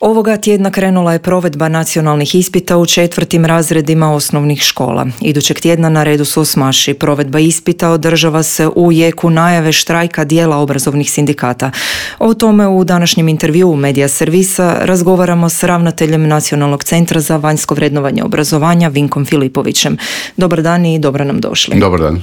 Ovoga tjedna krenula je provedba nacionalnih ispita u 4. razredima osnovnih škola. Idućeg tjedna na redu su osmaši. Provedba ispita održava se u jeku najave štrajka dijela obrazovnih sindikata. O tome u današnjem intervjuu Medija servisa razgovaramo s ravnateljem Nacionalnog centra za vanjsko vrednovanje obrazovanja Vinkom Filipovićem. Dobar dan i dobro nam došli. Dobar dan.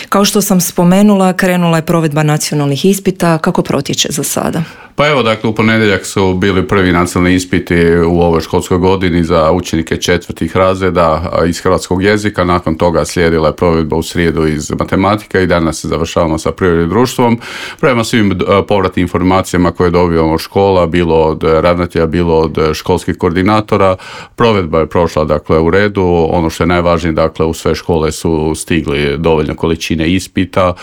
Kao što sam spomenula, krenula je provedba nacionalnih ispita. Kako protječe za sada? Pa evo, dakle, u ponedjeljak su bili prvi nacionalni ispiti u ovoj školskoj godini za učenike 4. razreda iz hrvatskog jezika. Nakon toga slijedila je provedba u srijedu iz matematike i danas se završavamo sa prirodnim društvom. Prema svim povratnim informacijama koje dobivamo od škola, bilo od ravnatelja, bilo od školskih koordinatora, provedba je prošla, dakle, u redu. Ono što je najvažnije, dakle, u sve škole su stigli dovoljno količine ispita,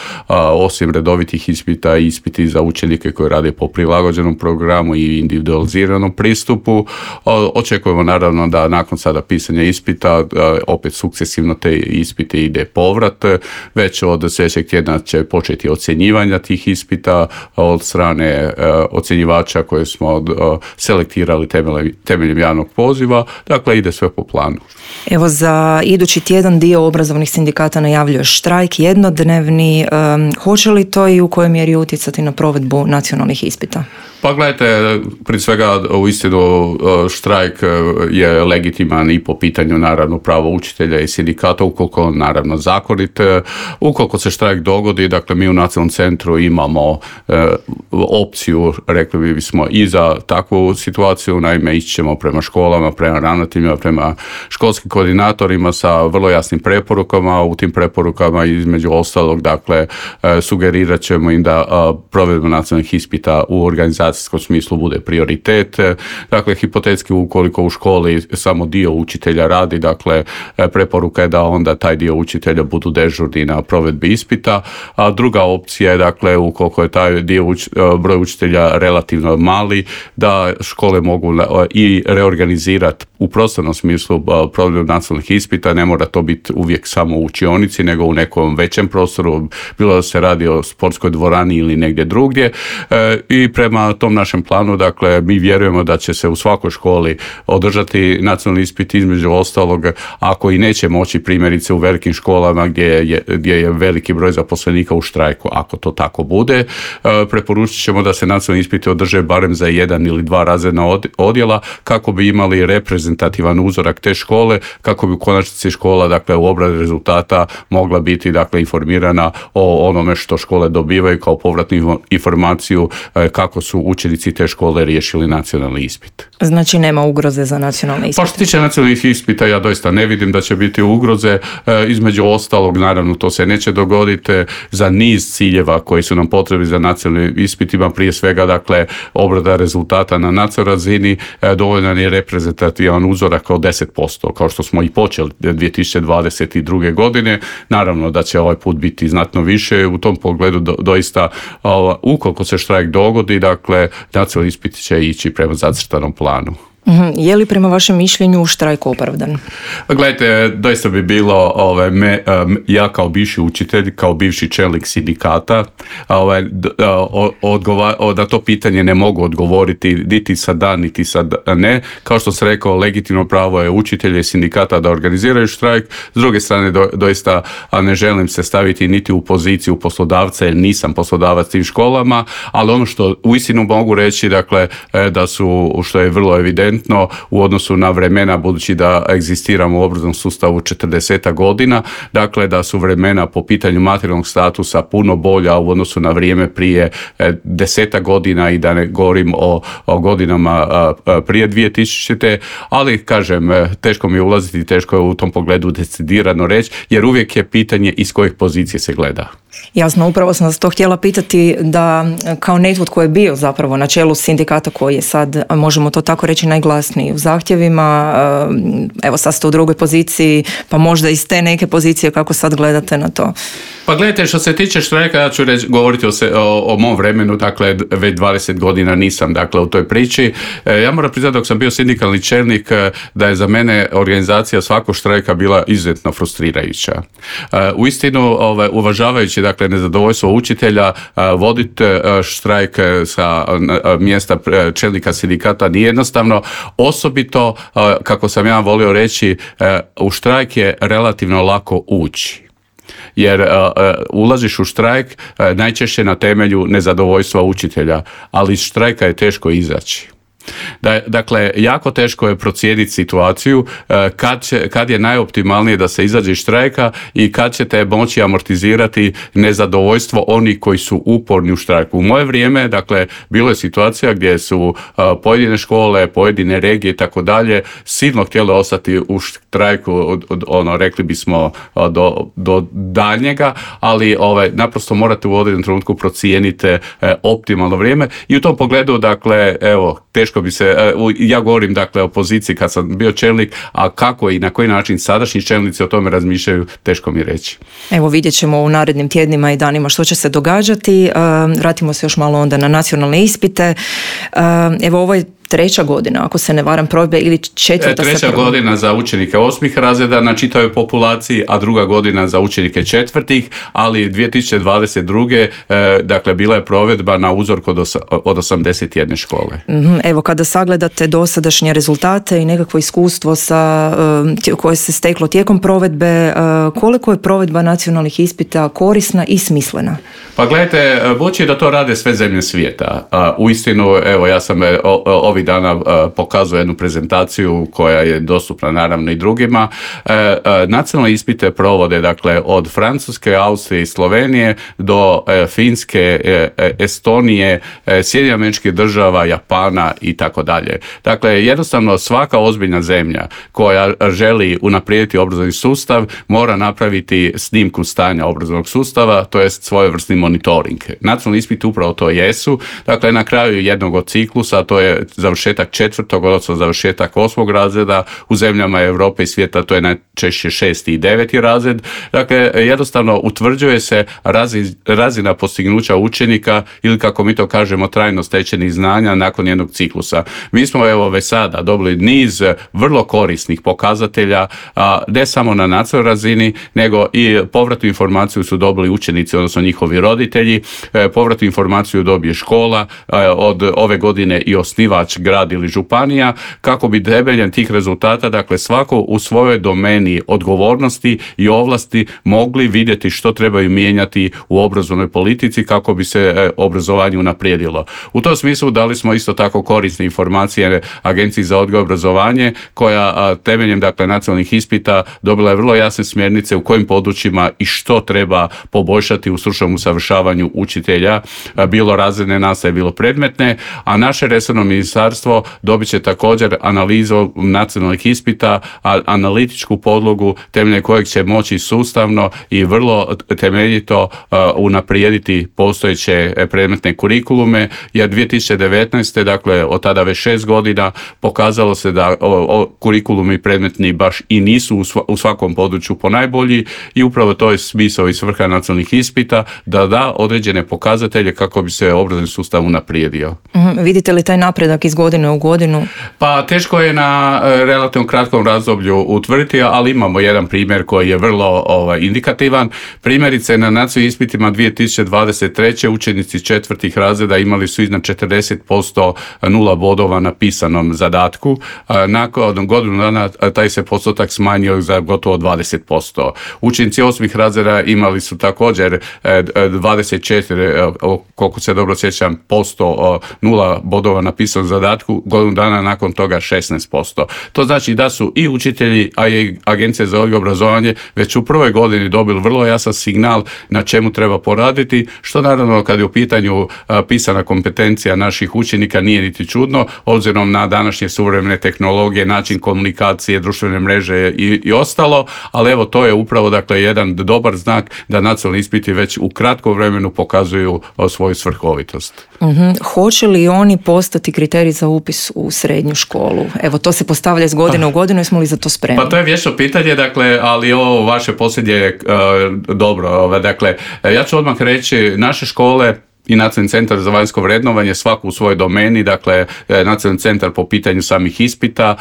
osim redovitih ispita, ispiti za učenike koji rade po prilagođenom programu i individualiziranom pristupu. Očekujemo naravno da nakon sada pisanja ispita opet sukcesivno te ispite ide povrat. Već od sljedećeg tjedna će početi ocjenjivanja tih ispita od strane ocjenjivača koje smo selektirali temeljem javnog poziva. Dakle, ide sve po planu. Evo, za idući tjedan dio obrazovnih sindikata najavljuje štrajk jednodnevni. Hoće li to i u kojoj mjeri utjecati na provedbu nacionalnih ispita? Pa gledajte, prije svega u istinu štrajk je legitiman i po pitanju naravno prava učitelja i sindikata, ukoliko naravno zakonit. Ukoliko se štrajk dogodi, dakle mi u Nacionalnom centru imamo opciju, rekli bismo, i za takvu situaciju. Naime, ići ćemo prema školama, prema ravnateljima, prema školskim koordinatorima sa vrlo jasnim preporukama. U tim preporukama između ostalog, dakle, sugerirat ćemo im da provedba nacionalnih ispita u organizaciji smislu bude prioritet. Dakle, hipotetski ukoliko u školi samo dio učitelja radi, dakle, preporuka je da onda taj dio učitelja budu dežurni na provedbi ispita. A druga opcija je, dakle, ukoliko je taj broj učitelja relativno mali, da škole mogu i reorganizirati u prostornom smislu provedbu nacionalnih ispita. Ne mora to biti uvijek samo u učionici, nego u nekom većem prostoru, bilo da se radi o sportskoj dvorani ili negdje drugdje. I prema tom našem planu, dakle, mi vjerujemo da će se u svakoj školi održati nacionalni ispit, između ostalog, ako i neće moći, primjerice u velikim školama gdje je veliki broj zaposlenika u štrajku. Ako to tako bude, preporučit ćemo da se nacionalni ispiti održe barem za 1 ili 2 razredna odjela, kako bi imali reprezentativan uzorak te škole, kako bi u konačnici škola, dakle, u obradi rezultata mogla biti, dakle, informirana o onome što škole dobivaju kao povratnu informaciju kako su učenici te škole riješili nacionalni ispit. Znači nema ugroze za nacionalni ispit? Pa što se tiče nacionalnih ispita, ja doista ne vidim da će biti ugroze. Između ostalog, naravno, to se neće dogoditi za niz ciljeva koji su nam potrebni za nacionalni ispitima. Prije svega, dakle, obrada rezultata na nacionalnoj razini, dovoljan je reprezentativan uzorak od 10%, kao što smo i počeli 2022. godine. Naravno da će ovaj put biti znatno više. U tom pogledu doista, ukoliko se štrajk dogodi, dakle, nacionalni ispit će ići prema zacrtanom planu. Je li prema vašem mišljenju štrajk opravdan? Gledajte, doista bi bilo ja kao bivši učitelj, kao bivši čelnik sindikata, na to pitanje ne mogu odgovoriti niti sad da, niti sad ne. Kao što sam rekao, legitimno pravo je učitelja i sindikata da organiziraju štrajk. S druge strane, doista ne želim se staviti niti u poziciju poslodavca, jer nisam poslodavac tim školama, ali ono što uistinu mogu reći, dakle, da su, što je vrlo evidentno, u odnosu na vremena, budući da egzistiramo u obrazovnom sustavu 40 godina, dakle, da su vremena po pitanju materijalnog statusa puno bolja u odnosu na vrijeme prije 10 godina, i da ne govorim o godinama prije 2000. Ali, kažem, teško mi je ulaziti, teško je u tom pogledu decidirano reći, jer uvijek je pitanje iz kojih pozicije se gleda. Jasno, upravo sam vas to htjela pitati, da kao netko tko je bio zapravo na čelu sindikata koji je sad, možemo to tako reći, najglasniji u zahtjevima, evo sad ste u drugoj poziciji, pa možda iz te neke pozicije kako sad gledate na to? Pa gledajte, što se tiče štrajka, ja ću govoriti o mom vremenu, dakle već 20 godina nisam dakle u toj priči. Ja moram priznati dok sam bio sindikalni čelnik da je za mene organizacija svakog štrajka bila izuzetno frustrirajuća. Uistinu, uvažavajući dakle nezadovoljstvo učitelja, voditi štrajk sa mjesta čelnika sindikata nije jednostavno, osobito kako sam ja volio reći, u štrajk je relativno lako ući. Jer ulaziš u štrajk najčešće na temelju nezadovoljstva učitelja, ali iz štrajka je teško izaći. Dakle, jako teško je procijeniti situaciju kad je najoptimalnije da se izađe iz štrajka i kad ćete moći amortizirati nezadovoljstvo onih koji su uporni u štrajku. U moje vrijeme, dakle, bilo je situacija gdje su pojedine škole, pojedine regije i tako dalje silno htjele ostati u štrajku, rekli bismo do daljnjega, ali naprosto morate u određenom trenutku procijeniti optimalno vrijeme i u tom pogledu, dakle, evo, teško bi se, ja govorim dakle o poziciji kad sam bio čelnik, a kako i na koji način sadašnji čelnici o tome razmišljaju, teško mi reći. Evo vidjet ćemo u narednim tjednima i danima što će se događati. Vratimo se još malo onda na nacionalne ispite. Evo ovo je 3. godina, ako se ne varam, provedbe ili 4. Treća godina za učenike 8. razreda na čitavoj populaciji, a 2. godina za učenike 4. ali 2022. dakle bila je provedba na uzorku od 81 škole. Evo kada sagledate dosadašnje rezultate i nekakvo iskustvo koje se steklo tijekom provedbe, koliko je provedba nacionalnih ispita korisna i smislena? Pa gledajte, budući da to rade sve zemlje svijeta, uistinu, evo ja sam ovih dana pokazuje jednu prezentaciju koja je dostupna naravno i drugima. Nacionalne ispite provode dakle od Francuske, Austrije i Slovenije do Finske, Estonije, Sjedinjenih Američkih Država, Japana i tako dalje. Dakle, jednostavno svaka ozbiljna zemlja koja želi unaprijediti obrazovni sustav mora napraviti snimku stanja obrazovnog sustava, to jest svojevrsni monitoring. Nacionalni ispiti upravo to jesu. Dakle, na kraju jednog od ciklusa, to je završetak 4. odnosno završetak 8. razreda, u zemljama Europe i svijeta to je najčešće 6. i 9. razred. Dakle, jednostavno utvrđuje se razina postignuća učenika ili kako mi to kažemo trajno stečenih znanja nakon jednog ciklusa. Mi smo evo već sada dobili niz vrlo korisnih pokazatelja, ne samo na nacionalnoj razini, nego i povratnu informaciju su dobili učenici, odnosno njihovi roditelji, povratnu informaciju dobije škola, od ove godine i osnivač grad ili županija, kako bi temeljem tih rezultata, dakle svako u svojoj domeni odgovornosti i ovlasti mogli vidjeti što trebaju mijenjati u obrazovnoj politici kako bi se obrazovanje unaprijedilo. U tom smislu dali smo isto tako korisne informacije Agenciji za odgoj i obrazovanje koja temeljem dakle nacionalnih ispita dobila je vrlo jasne smjernice u kojim područjima i što treba poboljšati u stručnom usavršavanju učitelja, bilo razredne nastave, bilo predmetne, a naše resorno ministarstvo dobit će također analizu nacionalnih ispita, analitičku podlogu temeljem kojeg će moći sustavno i vrlo temeljito unaprijediti postojeće predmetne kurikulume, jer 2019. dakle od tada već 6 godina pokazalo se da kurikulumi predmetni baš i nisu u svakom području ponajbolji i upravo to je smisao i svrha nacionalnih ispita, da određene pokazatelje kako bi se obrazovni sustav unaprijedio. Vidite li taj napredak iz godine u godinu? Pa teško je na relativno kratkom razdoblju utvrditi, ali imamo jedan primjer koji je vrlo indikativan. Primjerice na nacionalnim ispitima 2023. učenici 4. razreda imali su iznad 40% 0 bodova na pisanom zadatku. Nakon godinu dana taj se postotak smanjio za gotovo 20%. Učenici 8. razreda imali su također 24, koliko se dobro sjećam, posto 0 bodova na pisanom zadatku, godinu dana nakon toga 16%. To znači da su i učitelji, a i Agencija za odgoj i obrazovanje već u prvoj godini dobili vrlo jasan signal na čemu treba poraditi, što naravno kad je u pitanju pisana kompetencija naših učenika nije niti čudno, obzirom na današnje suvremene tehnologije, način komunikacije, društvene mreže i ostalo, ali evo to je upravo dakle jedan dobar znak da nacionalni ispiti već u kratkom vremenu pokazuju svoju svrhovitost. Hoće li oni postati kriterij za upis u srednju školu? Evo, to se postavlja iz godine u godinu, jesmo li za to spremni? Pa to je vječno pitanje, dakle, ali ovo vaše posljednje dobro. Dakle, ja ću odmah reći, naše škole i Nacionalni centar za vanjsko vrednovanje svako u svojoj domeni, dakle Nacionalni centar po pitanju samih ispita,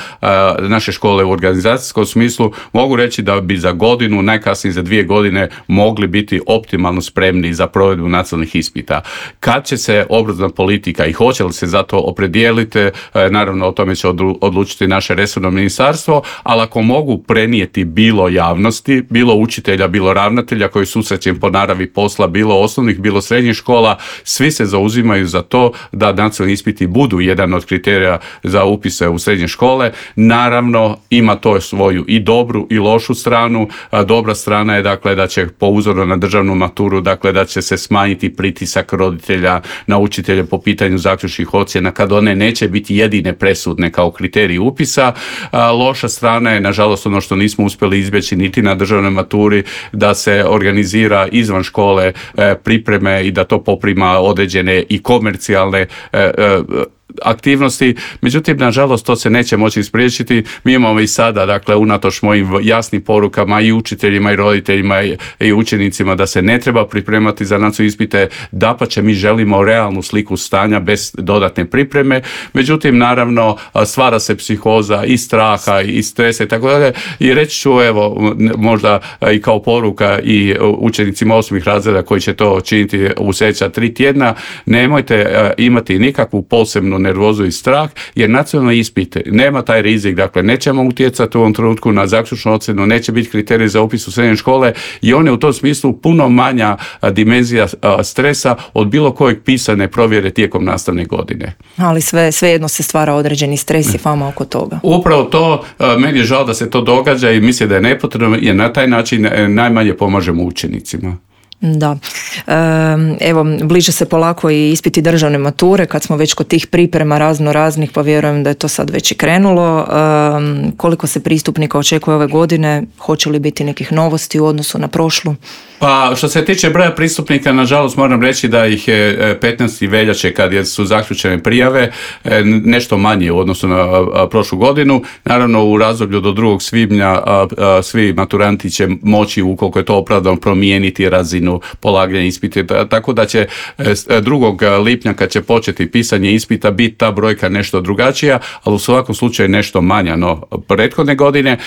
naše škole u organizacijskom smislu, mogu reći da bi za godinu, najkasnije za 2 godine mogli biti optimalno spremni za provedbu nacionalnih ispita. Kad će se obrazovna politika i hoće li se za to opredijeliti, naravno o tome će odlučiti naše resorno ministarstvo, ali ako mogu prenijeti bilo javnosti, bilo učitelja, bilo ravnatelja koji susrećem po naravi posla, bilo osnovnih, bilo srednjih škola, svi se zauzimaju za to da nacionalni ispiti budu jedan od kriterija za upise u srednje škole. Naravno, ima to svoju i dobru i lošu stranu. Dobra strana je dakle da će po uzoru na državnu maturu, dakle da će se smanjiti pritisak roditelja na učitelje po pitanju zaključnih ocjena kad one neće biti jedine presudne kao kriterij upisa. Loša strana je, nažalost, ono što nismo uspjeli izbjeći niti na državnoj maturi, da se organizira izvan škole pripreme i da to poprima određene i komercijalne aktivnosti, međutim, nažalost, to se neće moći spriječiti. Mi imamo i sada, dakle, unatoč mojim jasnim porukama i učiteljima i roditeljima i učenicima da se ne treba pripremati za nacionalne ispite, dapače, mi želimo realnu sliku stanja bez dodatne pripreme, međutim, naravno, stvara se psihoza i straha i stresa i tako dalje, i reći ću, evo, možda i kao poruka i učenicima osmih razreda koji će to činiti u sljedeća 3 tjedna, nemojte imati nikakvu posebnu nervozu i strah, jer nacionalni ispit nema taj rizik, dakle nećemo utjecati u ovom trenutku na zaključnu ocjenu, neće biti kriterij za upis u srednje škole i on je u tom smislu puno manja dimenzija stresa od bilo kojeg pisane provjere tijekom nastavne godine. Ali svejedno se stvara određeni stres i fama oko toga. Upravo to, meni je žao da se to događa i mislim da je nepotrebno, jer na taj način najmanje pomažemo učenicima. Da. Evo, bliže se polako i ispiti državne mature, kad smo već kod tih priprema raznih, pa vjerujem da je to sad već i krenulo. Koliko se pristupnika očekuje ove godine? Hoće li biti nekih novosti u odnosu na prošlu? Pa što se tiče broja pristupnika, nažalost moram reći da ih je 15. veljače kad su zaključene prijave nešto manje u odnosu na prošlu godinu. Naravno u razdoblju do 2. svibnja svi maturanti će moći, ukoliko je to opravdano, promijeniti razinu polaganja ispita, tako da će 2. lipnja kad će početi pisanje ispita biti ta brojka nešto drugačija, ali u svakom slučaju nešto manja no prethodne godine.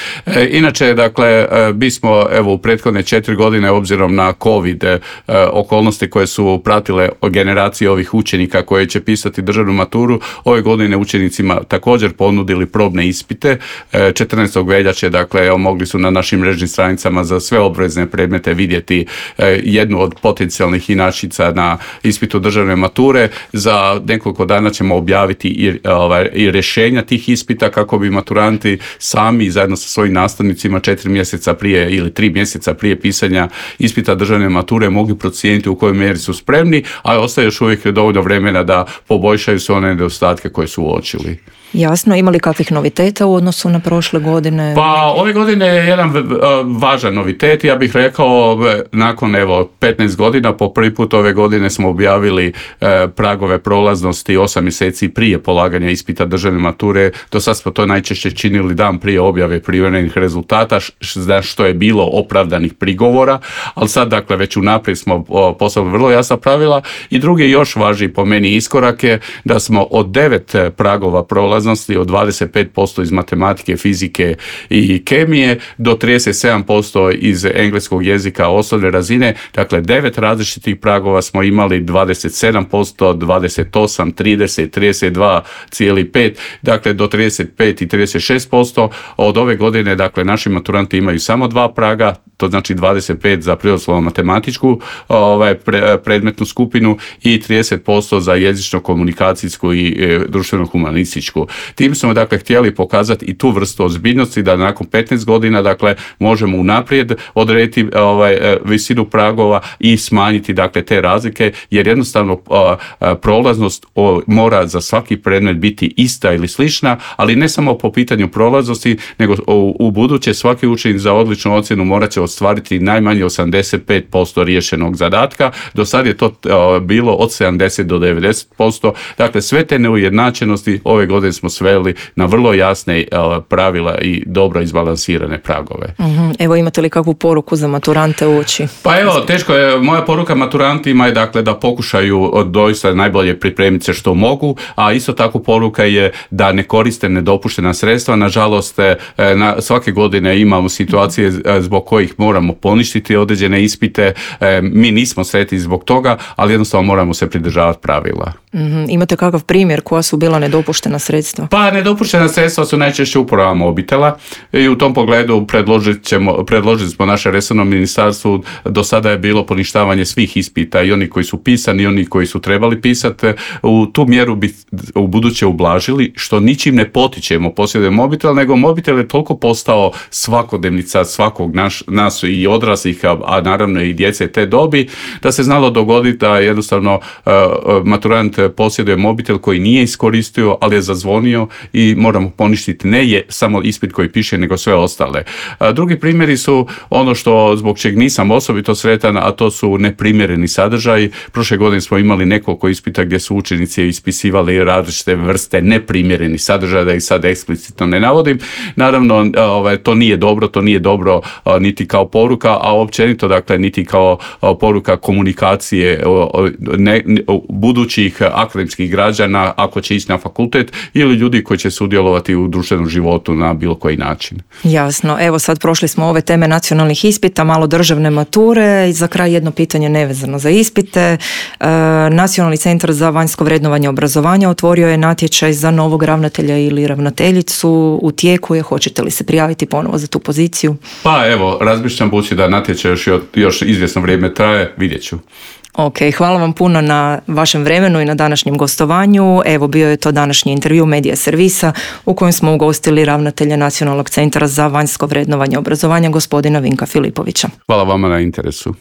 Inače, dakle, bismo evo u prethodne 4 godine obzirom na COVID okolnosti koje su pratile generacije ovih učenika koje će pisati državnu maturu, ove godine učenicima također ponudili probne ispite. 14. veljače, dakle, mogli su na našim mrežnim stranicama za sve obvezne predmete vidjeti jednu od potencijalnih inačica na ispitu državne mature. Za nekoliko dana ćemo objaviti i rješenja tih ispita kako bi maturanti sami zajedno sa svojim nastavnicima 4 mjeseca prije ili 3 mjeseca prije pisanja ispita državne mature mogli procijeniti u kojoj mjeri su spremni, a ostaje još uvijek dovoljno vremena da poboljšaju sve one nedostatke koje su uočili. Jasno, ima li kakvih noviteta u odnosu na prošle godine? Pa ove godine je jedan važan novitet, ja bih rekao, nakon 15 godina, po prvi put ove godine smo objavili pragove prolaznosti 8 mjeseci prije polaganja ispita državne mature. Do sad smo to najčešće činili dan prije objave privremenih rezultata, za što je bilo opravdanih prigovora, ali sad, dakle, već unaprijed smo poslali vrlo jasna pravila. I drugi još važniji po meni iskorak je da smo od 9 pragova prolaznosti, od 25% iz matematike, fizike i kemije do 37% iz engleskog jezika osnovne razine, dakle 9 različitih pragova smo imali, 27%, 28, 30, 32,5, dakle do 35 i 36%. Od ove godine, dakle, naši maturanti imaju samo 2 praga, to znači 25 za prirodoslovno matematičku predmetnu skupinu i 30% za jezično-komunikacijsku i društveno-humanističku. Tim smo, dakle, htjeli pokazati i tu vrstu ozbiljnosti da nakon 15 godina, dakle, možemo unaprijed odrediti visinu pragova i smanjiti, dakle, te razlike, jer jednostavno prolaznost mora za svaki predmet biti ista ili slična, ali ne samo po pitanju prolaznosti, nego u buduće svaki učenik za odličnu ocjenu morat će ostvariti najmanje 85% riješenog zadatka. Do sad je to bilo od 70 do 90%. Dakle, sve te neujednačenosti ove godine smo sveli na vrlo jasne pravila i dobro izbalansirane pragove. Evo, imate li kakvu poruku za maturante uoči? Pa evo, teško je. Moja poruka maturantima je dakle da pokušaju doista najbolje pripremiti se što mogu, a isto tako poruka je da ne koriste nedopuštena sredstva. Nažalost, svake godine imamo situacije zbog kojih moramo poništiti određene ispite. Mi nismo sretni zbog toga, ali jednostavno moramo se pridržavati pravila. Imate kakav primjer koja su bila nedopuštena sredstva? Pa nedopuštena sredstva su najčešće uporaba mobitela i u tom pogledu predložili smo naše resorno ministarstvu. Do sada je bilo poništavanje svih ispita, i oni koji su pisani i oni koji su trebali pisati. U tu mjeru bi u buduće ublažili, što ničim ne potičemo posjeduje mobitel, nego mobitel je toliko postao svakodnevnica svakog nas i odraslih, a naravno i djece te dobi, da se znalo dogoditi da jednostavno maturant posjeduje mobitel koji nije iskoristio, ali je zazvonio i moramo poništiti ne je samo ispit koji piše, nego sve ostale. Drugi primjeri su ono što zbog čeg nisam osobito sretan, a to su neprimjereni sadržaji. Prošle godine smo imali nekoliko ispita gdje su učenici ispisivali različite vrste neprimjerenih sadržaja, da ih sad eksplicitno ne navodim. Naravno, to nije dobro niti kao poruka, a općenito dakle niti kao poruka komunikacije budućih akademskih građana ako će ići na fakultet ili ljudi koji će sudjelovati u društvenom životu na bilo koji način. Jasno. Evo sad prošli smo ove teme nacionalnih ispita, malo državne mature i za kraj jedno pitanje nevezano za ispite. Nacionalni centar za vanjsko vrednovanje obrazovanja otvorio je natječaj za novog ravnatelja ili ravnateljicu. U tijeku je, hoćete li se prijaviti ponovo za tu poziciju? Pa evo, razmišljam, budući da natječaj još izvjesno vrijeme traje, vidjet ću. Ok, hvala vam puno na vašem vremenu i na današnjem gostovanju. Evo, bio je to današnji intervju Medija Servisa u kojem smo ugostili ravnatelja Nacionalnog centra za vanjsko vrednovanje obrazovanja, gospodina Vinka Filipovića. Hvala vama na interesu.